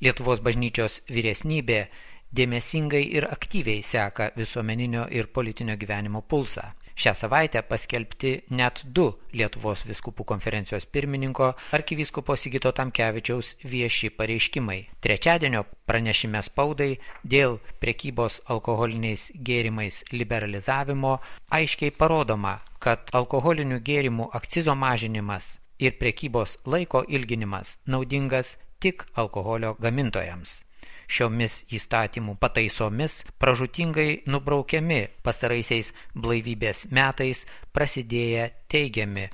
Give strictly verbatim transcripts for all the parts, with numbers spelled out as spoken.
Lietuvos bažnyčios vyresnybė dėmesingai ir aktyviai seka visuomeninio ir politinio gyvenimo pulsą. Šią savaitę paskelbti net du Lietuvos vyskupų konferencijos pirmininko arkivyskupo Sigito Tamkevičiaus vieši pareiškimai. Trečiadienio pranešime spaudai dėl prekybos alkoholiniais gėrimais liberalizavimo aiškiai parodoma, kad alkoholinių gėrimų akcizo mažinimas ir prekybos laiko ilginimas naudingas tik alkoholio gamintojams. Šiomis įstatymų pataisomis pražūtingai nubraukiami pastaraisiais blaivybės metais prasidėję teigiami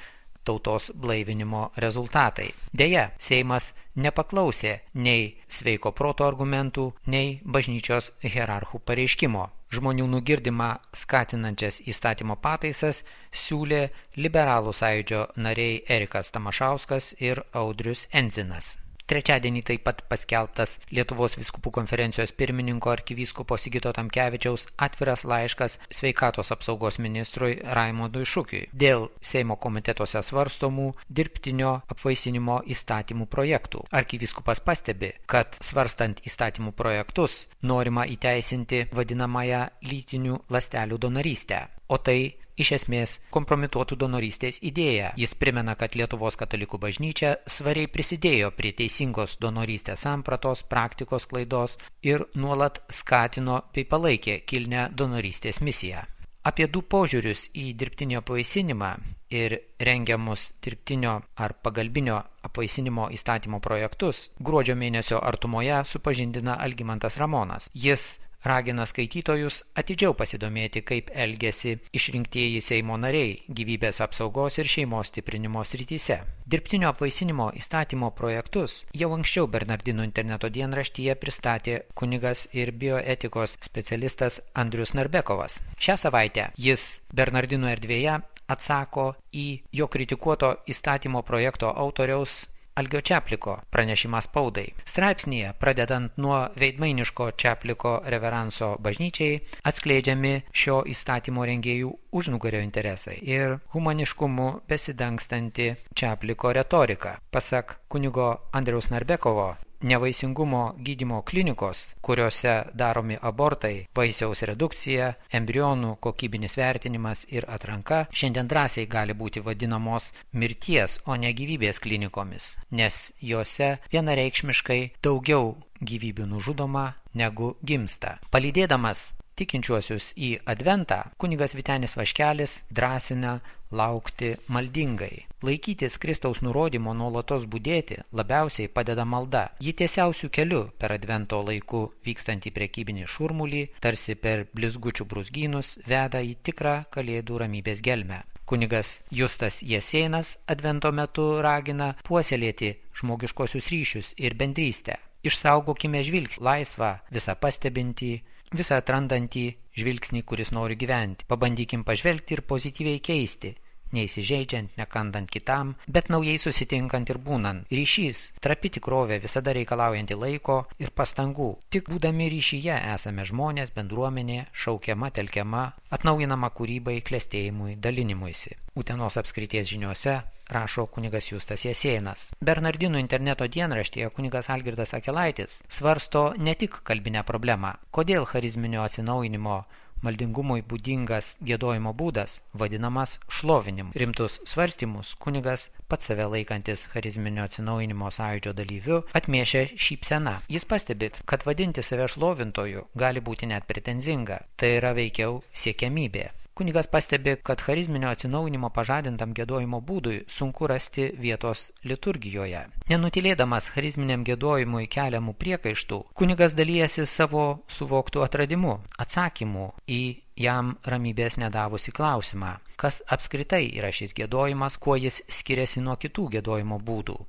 tautos blaivinimo rezultatai. Deja, Seimas nepaklausė nei sveiko proto argumentų, nei bažnyčios hierarchų pareiškimo. Žmonių nugirdimą skatinančias įstatymo pataisas siūlė liberalų sąjūdžio nariai Erikas Tamašauskas ir Audrius Endzinas. Trečiadienį taip pat paskelbtas Lietuvos vyskupų konferencijos pirmininko arkivyskupo Sigito Tamkevičiaus atviras laiškas sveikatos apsaugos ministrui Raimondui Šukiui dėl Seimo komitetuose svarstomų dirbtinio apvaisinimo įstatymų projektų. Arkivyskupas pastebi, kad svarstant įstatymų projektus norima įteisinti vadinamąją lytinių ląstelių donorystę, o tai iš esmės kompromituotų donorystės idėją. Jis primena, kad Lietuvos katalikų bažnyčia svariai prisidėjo prie teisingos donorystės sampratos, praktikos klaidos ir nuolat skatino bei palaikė kilnią donorystės misiją. Apie du požiūrius į dirbtinio apvaisinimą ir rengiamus dirbtinio ar pagalbinio apvaisinimo įstatymo projektus gruodžio mėnesio artumoje supažindina Algimantas Ramonas. Jis ragina skaitytojus atidžiau pasidomėti, kaip elgiasi išrinktieji Seimo nariai gyvybės apsaugos ir šeimos stiprinimo srityse. Dirbtinio apvaisinimo įstatymo projektus jau anksčiau Bernardinų interneto dienraštyje pristatė kunigas ir bioetikos specialistas Andrius Narbekovas. Šią savaitę jis Bernardinų erdvėje atsako į jo kritikuoto įstatymo projekto autoriaus Algio Čapliko pranešimą spaudai. Straipsnyje, pradedant nuo veidmainiško Čapliko reveranso bažnyčiai, atskleidžiami šio įstatymo rengėjų užnugario interesai ir humaniškumu besidangstanti Čapliko retorika. Pasak kunigo Andriaus Narbekovo, nevaisingumo gydymo klinikos, kuriuose daromi abortai, vaisiaus redukcija, embrionų kokybinis vertinimas ir atranka, šiandien drąsiai gali būti vadinamos mirties, o ne gyvybės klinikomis, nes juose vienareikšmiškai daugiau gyvybių nužudoma negu gimsta. Palydėdamas tikinčiuosius į adventą, kunigas Vytenis Vaškelis drąsina laukti maldingai. Laikytis Kristaus nurodymo nuolatos budėti labiausiai padeda malda. Ji tiesiausių kelių per advento laiku vykstantį prekybinį šurmulį, tarsi per blizgučių brūzgynus, veda į tikrą kalėdų ramybės gelmę. Kunigas Justas Jesėnas advento metu ragina puoselėti žmogiškosius ryšius ir bendrystę. Išsaugokime žvilgsnį, laisvą, visą pastebintį, visą atrandantį žvilgsnį, kuris nori gyventi. Pabandykim pažvelgti ir pozityviai keisti, neįsižeidžiant, nekandant kitam, bet naujai susitinkant ir būnant. Ryšys, trapi tikrovė, visada reikalaujanti laiko ir pastangų. Tik būdami ryšyje esame žmonės, bendruomenė, šaukiama, telkiama, atnaujinama kūrybai, klestėjimui, dalinimuisi. Utenos apskrities žiniuose rašo kunigas Justas Jesėnas. Bernardinų interneto dienraštyje kunigas Algirdas Akelaitis svarsto ne tik kalbinę problemą, kodėl charizminio atsinaujinimo maldingumui būdingas giedojimo būdas vadinamas šlovinimu. Rimtus svarstymus kunigas, pats save laikantis charizminio atsinaujinimo sąjūdžio dalyviu, atmiešia šypsena. Jis pastebi, kad vadinti save šlovintoju gali būti net pretenzinga. Tai yra veikiau siekiamybė. Kunigas pastebi, kad charizminio atsinaujinimo pažadintam giedojimo būdui sunku rasti vietos liturgijoje. Nenutilėdamas charizminiam giedojimui keliamų priekaištų, kunigas dalijasi savo suvoktų atradimų, atsakymų į jam ramybės nedavusi klausimą, kas apskritai yra šis giedojimas, kuo jis skiriasi nuo kitų giedojimo būdų.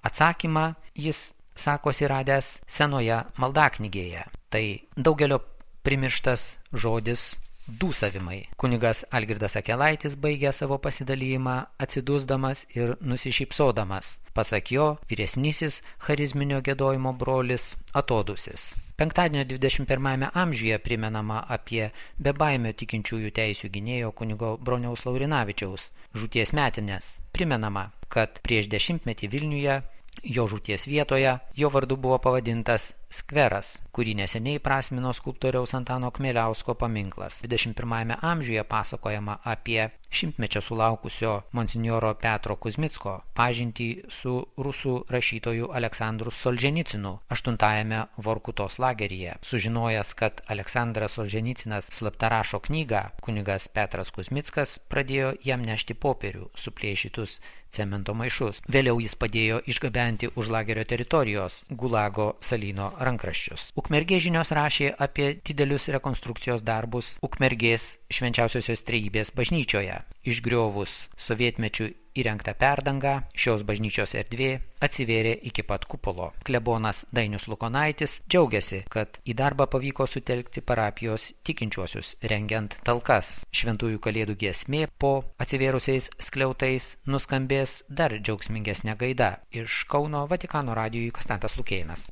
Atsakymą jis sakosi radęs senoje maldaknygėje. Tai daugelio primirštas žodis dūsavimai. Kunigas Algirdas Akelaitis baigė savo pasidalijimą atsidusdamas ir nusišypsodamas. Pasak jo, vyresnysis charizminio giedojimo brolis atodūsis. Penktadienio dvidešimt pirmajame amžiuje primenama apie bebaimio tikinčiųjų teisių gynėjo kunigo Broniaus Laurinavičiaus žūties metines. Primenama, kad prieš dešimtmetį Vilniuje Jo žūties vietoje jo vardu buvo pavadintas skveras, kurį neseniai prasmino skulptoriaus Antano Kmieliausko paminklas. dvidešimt pirmajame amžiuje pasakojama apie šimtmečio sulaukusio monsinjoro Petro Kuzmicko pažintį su rusų rašytoju Aleksandru Solženicinu aštuntajame Vorkutos lageryje. Sužinojęs, kad Aleksandras Solženicinas slapta rašo knygą, kunigas Petras Kuzmickas pradėjo jam nešti popierių, suplėšytus cemento maišus. Vėliau jis padėjo išgabenti už lagerio teritorijos Gulago salyno rankraščius. Ukmergės žinios rašė apie didelius rekonstrukcijos darbus Ukmergės Švenčiausiosios Trejybės bažnyčioje. Išgriovus sovietmečių įrengtą perdangą, šios bažnyčios erdvė atsivėrė iki pat kupolo. Klebonas Dainius Lukonaitis džiaugiasi, kad į darbą pavyko sutelkti parapijos tikinčiuosius, rengiant talkas. Šventųjų kalėdų giesmė po atsivėrusiais skliautais nuskambės dar džiaugsmingesnė gaida. Iš Kauno Vatikano radijui Konstantas Lukėnas.